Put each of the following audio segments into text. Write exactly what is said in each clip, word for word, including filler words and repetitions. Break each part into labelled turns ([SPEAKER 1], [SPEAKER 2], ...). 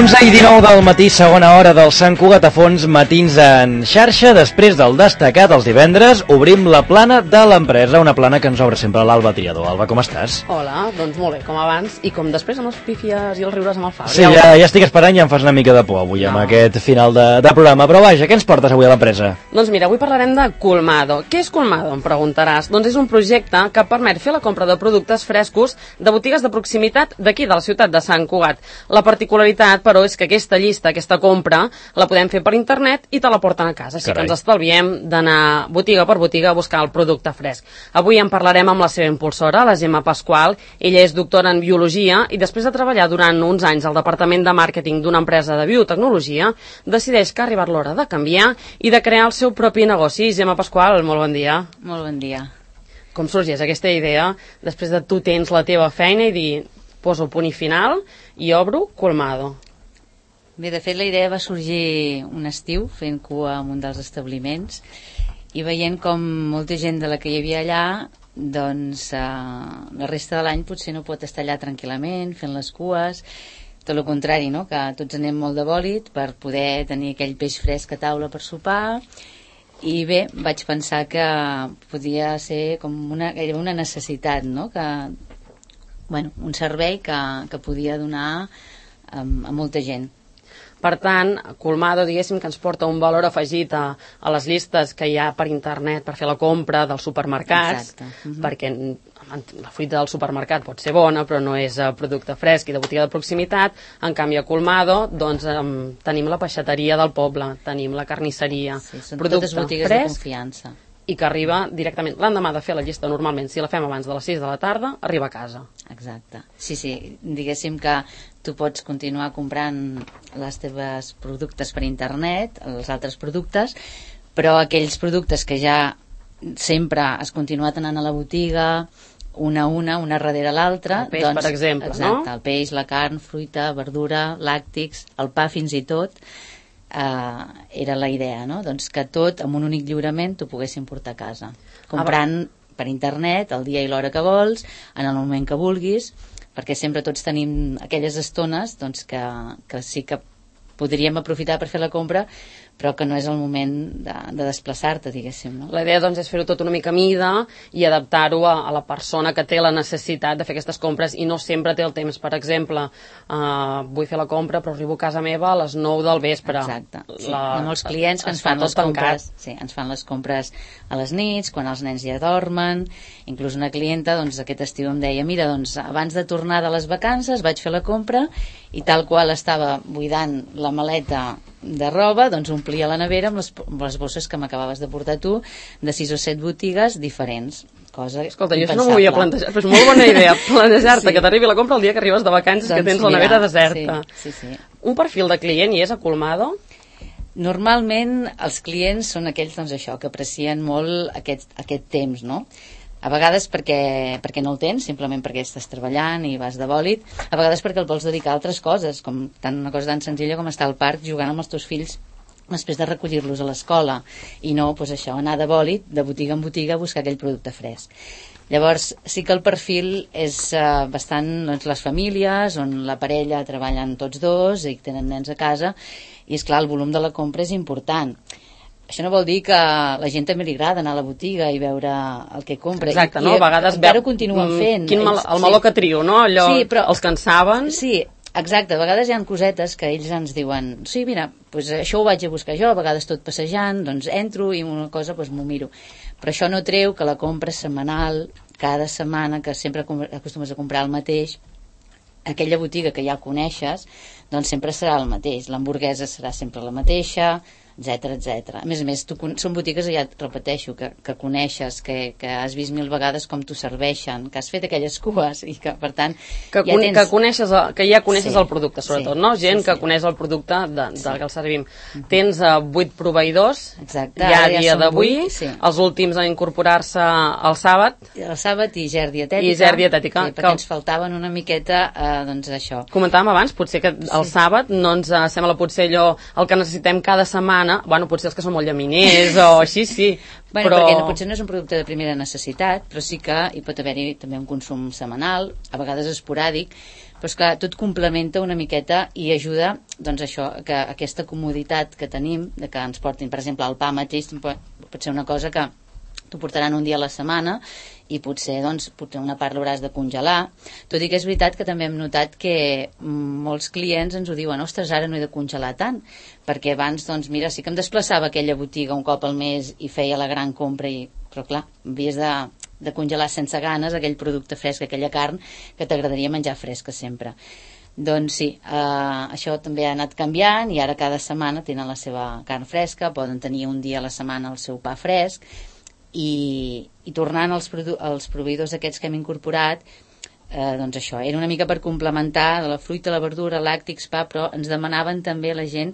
[SPEAKER 1] onze i dinou del matí, segona hora del Sant Cugat a Fons, matins en xarxa. Després del destacat els divendres, obrim la plana de l'empresa, una plana que ens obre sempre l'Alba Triador. Alba, com estàs?
[SPEAKER 2] Hola, doncs molt bé, com abans, i com després amb els pífies i els riures amb el Fabri.
[SPEAKER 1] Sí, ja, ja estic esperant i em fas una mica de por avui no. amb aquest final de, de programa. Però vaja, què ens portes avui a l'empresa?
[SPEAKER 2] Doncs mira, avui parlarem de Colmado. Què és Colmado, em preguntaràs? Doncs és un projecte que permet fer la compra de productes frescos de botigues de proximitat d'aquí, de la ciutat de Sant Cugat. La particularitat, però, és que aquesta llista, aquesta compra, la podem fer per internet i te la porten a casa. Així Carai. que ens estalviem d'anar botiga per botiga a buscar el producte fresc. Avui en parlarem amb la seva impulsora, la Gemma Pasqual. Ella és doctora en biologia i després de treballar durant uns anys al departament de màrqueting d'una empresa de biotecnologia, decideix que ha arribat l'hora de canviar i de crear el seu propi negoci. Gemma Pasqual, molt bon dia.
[SPEAKER 3] Molt bon dia.
[SPEAKER 2] Com sorgeix aquesta idea després de tu tens la teva feina i dir poso punt i final i obro Colmado?
[SPEAKER 3] Bé, de fet la idea va sorgir un estiu fent cua en un dels establiments i veient com molta gent de la que hi havia allà doncs eh, la resta de l'any potser no pot estar allà tranquil·lament fent les cues, tot el contrari, no? Que tots anem molt de bòlit per poder tenir aquell peix fresc a taula per sopar. I bé, vaig pensar que podia ser com una, una necessitat, no? Que, bueno, un servei que, que podia donar a, a molta gent.
[SPEAKER 2] Per tant, Colmado, diguéssim que ens porta un valor afegit a, a les llistes que hi ha per internet per fer la compra dels supermercats.
[SPEAKER 3] Exacte. Uh-huh.
[SPEAKER 2] Perquè la fruita del supermercat pot ser bona, però no és uh, producte fresc i de botiga de proximitat. En canvi, a Colmado, doncs, um, tenim la peixateria del poble, tenim la carnisseria,
[SPEAKER 3] sí, són
[SPEAKER 2] producte
[SPEAKER 3] totes botigues
[SPEAKER 2] fresc,
[SPEAKER 3] de confiança.
[SPEAKER 2] I que arriba directament, l'endemà de fer la llista normalment, si la fem abans de les sis de la tarda, arriba a casa.
[SPEAKER 3] Exacte. Sí, sí, diguéssim que tu pots continuar comprant les teves productes per internet, els altres productes, però aquells productes que ja sempre has continuat anant a la botiga, una a una, una darrere l'altra.
[SPEAKER 2] El peix, doncs, per exemple,
[SPEAKER 3] exacte,
[SPEAKER 2] no?
[SPEAKER 3] El peix, la carn, fruita, verdura, làctics, el pa fins i tot. Uh, era la idea, no? Doncs que tot amb un únic lliurament t'ho poguessin portar a casa comprant ah, per internet el dia i l'hora que vols, en el moment que vulguis, perquè sempre tots tenim aquelles estones doncs, que, que sí que podríem aprofitar per fer la compra però que no és el moment de, de desplaçar-te, diguéssim, no?
[SPEAKER 2] La idea doncs és fer-ho tot una mica a mida i adaptar-ho a, a la persona que té la necessitat de fer aquestes compres i no sempre té el temps. Per exemple, uh, vull fer la compra però arribo a casa meva a les nou del vespre.
[SPEAKER 3] Exacte. Sí.
[SPEAKER 2] La,
[SPEAKER 3] Hi ha molts clients que ens fan les compres, sí, ens fan les compres a les nits, quan els nens ja dormen. Inclús una clienta doncs, aquest estiu em deia mira, doncs, abans de tornar de les vacances vaig fer la compra i tal qual estava buidant la maleta de roba, doncs omplia la nevera amb les, amb les bosses que m'acabaves de portar tu de sis o set botigues diferents. Cosa
[SPEAKER 2] Escolta, jo això no m'ho havia plantejat, però és molt bona idea planejar-te, sí. que t'arribi la compra el dia que arribes de vacances, doncs que tens la nevera mira, deserta.
[SPEAKER 3] Sí, sí, sí.
[SPEAKER 2] Un perfil de client hi és a Colmado?
[SPEAKER 3] Normalment els clients són aquells doncs, això, que aprecien molt aquest, aquest temps, no? A vegades perquè, perquè no el tens, simplement perquè estàs treballant i vas de bòlit, a vegades perquè el vols dedicar a altres coses, com tant una cosa tan senzilla com estar al parc jugant amb els teus fills després de recollir-los a l'escola, i no, doncs això, anar de bòlit, de botiga en botiga, a buscar aquell producte fresc. Llavors, sí que el perfil és uh, bastant doncs, les famílies, on la parella treballen tots dos i tenen nens a casa, i és clar, el volum de la compra és important. Això no vol dir que a la gent també li agrada anar a la botiga i veure el que compra.
[SPEAKER 2] Exacte,
[SPEAKER 3] I,
[SPEAKER 2] no? A vegades
[SPEAKER 3] encara ho continuen fent.
[SPEAKER 2] Quin mal, el meló sí. que trio, no? Allò, sí, però, els que en saben.
[SPEAKER 3] Sí, exacte. A vegades hi ha cosetes que ells ens diuen sí, mira, doncs això ho vaig a buscar jo, a vegades tot passejant, doncs entro i una cosa doncs m'ho miro. Però això no treu que la compra setmanal, cada setmana, que sempre acostumes a comprar el mateix, aquella botiga que ja coneixes, doncs sempre serà el mateix. L'hamburguesa serà sempre la mateixa, etcètera, etcètera. A més a més, tu, són botigues, ja et repeteixo, que, que coneixes, que, que has vist mil vegades com t'ho serveixen, que has fet aquelles cues i que, per tant,
[SPEAKER 2] que,
[SPEAKER 3] ja tens...
[SPEAKER 2] que, coneixes, que ja coneixes sí, el producte, sobretot,
[SPEAKER 3] sí,
[SPEAKER 2] no? Gent
[SPEAKER 3] sí, sí.
[SPEAKER 2] que coneix el producte de, de
[SPEAKER 3] sí.
[SPEAKER 2] que el servim. Uh-huh. Tens uh, vuit proveïdors,
[SPEAKER 3] exacte,
[SPEAKER 2] ja a dia
[SPEAKER 3] ja
[SPEAKER 2] d'avui,
[SPEAKER 3] sí.
[SPEAKER 2] els últims a incorporar-se el sàbat.
[SPEAKER 3] El sàbat i ger dietètica.
[SPEAKER 2] I ger dietètica.
[SPEAKER 3] Sí, perquè que... ens faltaven una miqueta, eh, doncs, això.
[SPEAKER 2] Comentàvem abans, potser que el sí. sàbat no ens uh, sembla potser allò el que necessitem cada setmana, bueno, potser els que són molt llaminers o així, sí.
[SPEAKER 3] Bueno,
[SPEAKER 2] però...
[SPEAKER 3] perquè no, potser no és un producte de primera necessitat, però sí que hi pot haver-hi també un consum setmanal, a vegades esporàdic, Però esclar, tot complementa una miqueta i ajuda, doncs això, que aquesta comoditat que tenim, de que ens portin, per exemple, el pa mateix, pot ser una cosa que t'ho portaran un dia a la setmana i potser, doncs, potser una part l'hauràs de congelar, tot i que és veritat que també hem notat que molts clients ens ho diuen, ostres, ara no he de congelar tant, perquè abans, doncs, mira, sí que em desplaçava a aquella botiga un cop al mes i feia la gran compra, i... però clar, havies de, de congelar sense ganes aquell producte fresc, aquella carn que t'agradaria menjar fresca sempre. Doncs sí, eh, això també ha anat canviant i ara cada setmana tenen la seva carn fresca, poden tenir un dia a la setmana el seu pa fresc. I, i tornant als, als proveïdors aquests que hem incorporat, eh, doncs això, era una mica per complementar la fruita, la verdura, làctics, pa, però ens demanaven també la gent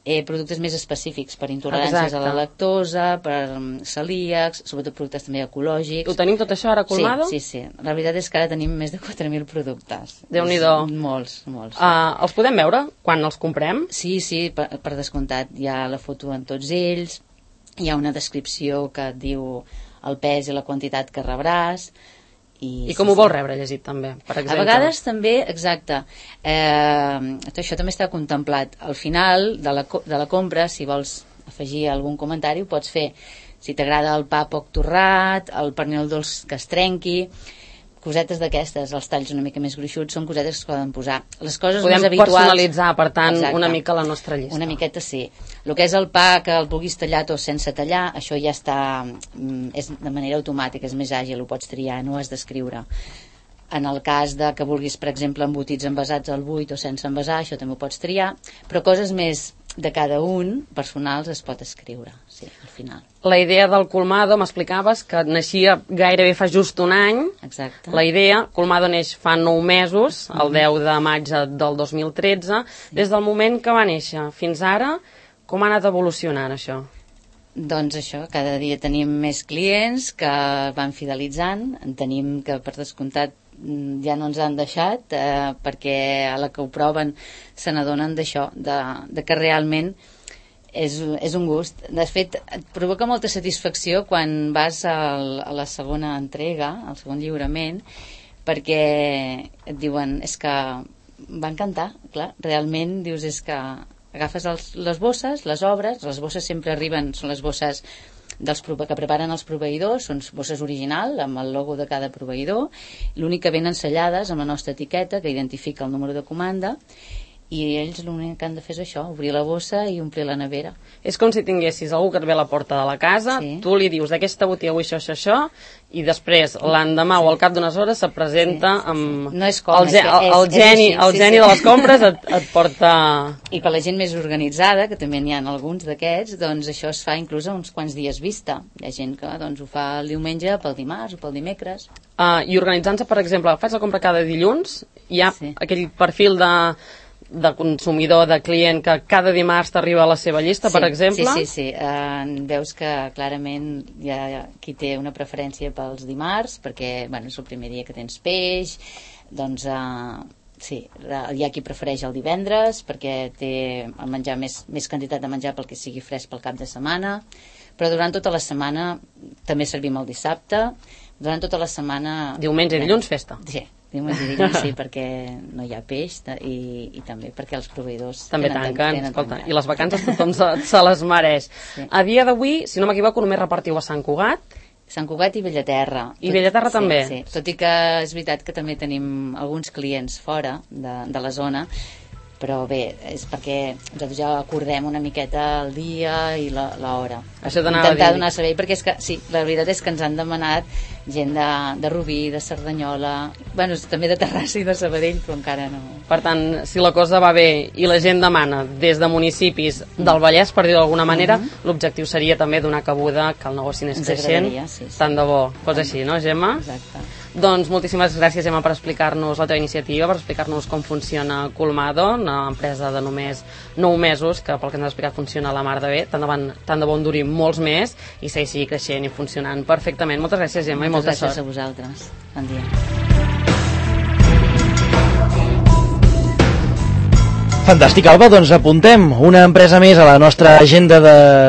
[SPEAKER 3] eh, productes més específics per intoleràncies Exacte. A la lactosa, per celíacs, sobretot productes també ecològics.
[SPEAKER 2] Ho tenim tot això ara a Colmado?
[SPEAKER 3] Sí, sí, sí. La veritat és que ara tenim més de quatre mil productes.
[SPEAKER 2] Déu-n'hi-do.
[SPEAKER 3] Molts, molts.
[SPEAKER 2] Uh, els podem veure quan els comprem?
[SPEAKER 3] Sí, sí, per, per descomptat. Hi ha la foto en tots ells, hi ha una descripció que et diu el pes i la quantitat que rebràs. I,
[SPEAKER 2] I com sí, ho vols rebre llegit també, per exemple?
[SPEAKER 3] A vegades també, exacte, eh, això també està contemplat. Al final de la, de la compra, si vols afegir algun comentari, ho pots fer. Si t'agrada el pa poc torrat, el pernil dolç que es trenqui, cosetes d'aquestes, els talls una mica més gruixuts, són cosetes que es poden posar. Les coses
[SPEAKER 2] Podem
[SPEAKER 3] més habituals...
[SPEAKER 2] Podem personalitzar, per tant,
[SPEAKER 3] Exacte.
[SPEAKER 2] Una mica la nostra llista.
[SPEAKER 3] Una miqueta sí. El que és el pa, que el vulguis tallat o sense tallar, això ja està... és de manera automàtica, és més àgil, ho pots triar, no ho has d'escriure. En el cas de que vulguis, per exemple, embotits envasats al buit o sense envasar, això també ho pots triar, però coses més de cada un, personals, es pot escriure, sí, al final.
[SPEAKER 2] La idea del Colmado, m'explicaves que naixia gairebé fa just un any.
[SPEAKER 3] Exacte.
[SPEAKER 2] La idea, Colmado neix fa nou mesos, el deu de maig del dos mil tretze. Sí. Des del moment que va néixer fins ara, com ha anat evolucionant això?
[SPEAKER 3] Doncs això, cada dia tenim més clients que van fidelitzant, en tenim que per descomptat ja no ens han deixat eh, perquè a la que ho proven se n'adonen d'això, de, de que realment és, és un gust. De fet, et provoca molta satisfacció quan vas al, a la segona entrega, al segon lliurament, perquè et diuen, és que va encantar, clar, realment dius, és que agafes els, les bosses, les obres, les bosses sempre arriben, són les bosses dels que preparen els proveïdors, són bosses original amb el logo de cada proveïdor, l'únic que venen sellades amb la nostra etiqueta que identifica el número de comanda, i ells l'únic que han de fer és això, obrir la bossa i omplir la nevera.
[SPEAKER 2] És com si tinguessis algú que et ve a la porta de la casa, sí. Tu li dius d'aquesta botiga vull això, això, això, i després l'endemà sí. O al cap d'unes hores se presenta sí, sí, sí. amb
[SPEAKER 3] no és com,
[SPEAKER 2] el, ge el, el
[SPEAKER 3] és,
[SPEAKER 2] geni,
[SPEAKER 3] és
[SPEAKER 2] el
[SPEAKER 3] sí,
[SPEAKER 2] geni
[SPEAKER 3] sí.
[SPEAKER 2] de les compres et, et porta...
[SPEAKER 3] I per la gent més organitzada, que també n'hi ha alguns d'aquests, doncs això es fa inclús a uns quants dies vista. Hi ha gent que doncs, ho fa el diumenge, pel dimarts o pel dimecres.
[SPEAKER 2] Uh, I organitzant-se, per exemple, faig la compra cada dilluns, hi ha sí. Aquell perfil de... de consumidor, de client que cada dimarts t'arriba a la seva llista,
[SPEAKER 3] sí,
[SPEAKER 2] per exemple?
[SPEAKER 3] Sí, sí, sí. Uh, veus que clarament hi ha qui té una preferència pels dimarts, perquè bueno, és el primer dia que tens peix, doncs uh, sí, hi ha qui prefereix el divendres perquè té el menjar més, més quantitat de menjar pel que sigui fresc pel cap de setmana, però durant tota la setmana també servim el dissabte, durant tota la setmana...
[SPEAKER 2] Diumenge i dilluns, festa.
[SPEAKER 3] Sí. Diumenge i dilluns sí, perquè no hi ha peix i, i també perquè els proveïdors
[SPEAKER 2] també tenen, tanquen, tenen escolta, i les vacances tothom se, se les mereix. Sí. A dia d'avui, si no m'equivoco, només repartiu a Sant Cugat?
[SPEAKER 3] Sant Cugat i Bellaterra.
[SPEAKER 2] I Bellaterra
[SPEAKER 3] sí,
[SPEAKER 2] també?
[SPEAKER 3] Sí, tot i que és veritat que també tenim alguns clients fora de, de la zona, però bé, és perquè nosaltres ja acordem una miqueta el dia i l'hora.
[SPEAKER 2] Això t'anava a dir.
[SPEAKER 3] Intentar donar servei, perquè és que, sí, la veritat és que ens han demanat gent de, de Rubí, de Cerdanyola, bueno, també de Terrassa i de Sabadell, però encara no.
[SPEAKER 2] Per tant, si la cosa va bé i la gent demana des de municipis del Vallès, per dir-ho d'alguna manera, mm-hmm. L'objectiu seria també donar cabuda que el negoci anés creixent. Sí, sí. Tant de bo fos així, no, Gemma?
[SPEAKER 3] Exacte.
[SPEAKER 2] Doncs moltíssimes gràcies, Gemma, per explicar-nos la teva iniciativa, per explicar-nos com funciona Colmado, una empresa de només nou mesos, que pel que ens has explicat funciona a la mar de bé, tant de, bon, tant de bon duri molts més, i segueixi creixent i funcionant perfectament. Moltes gràcies, Gemma, i molta
[SPEAKER 3] sort.
[SPEAKER 2] Moltes
[SPEAKER 3] gràcies a vosaltres. Bon dia.
[SPEAKER 1] Fantàstic, Alba, doncs apuntem una empresa més a la nostra agenda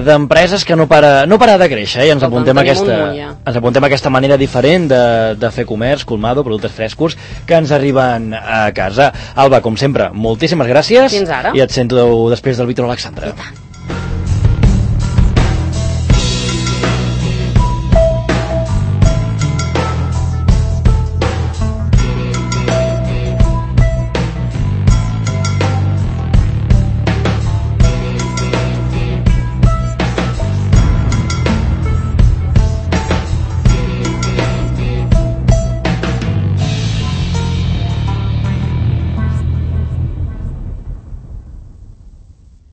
[SPEAKER 1] d'empreses de, que no para, no para de créixer, eh? I ens apuntem, aquesta, ens apuntem aquesta manera diferent de, de fer comerç, Colmado, productes frescos que ens arriben a casa. Alba, com sempre, moltíssimes gràcies.
[SPEAKER 2] Fins ara.
[SPEAKER 1] I et sento després del Víctor Alexandre.
[SPEAKER 2] I tant.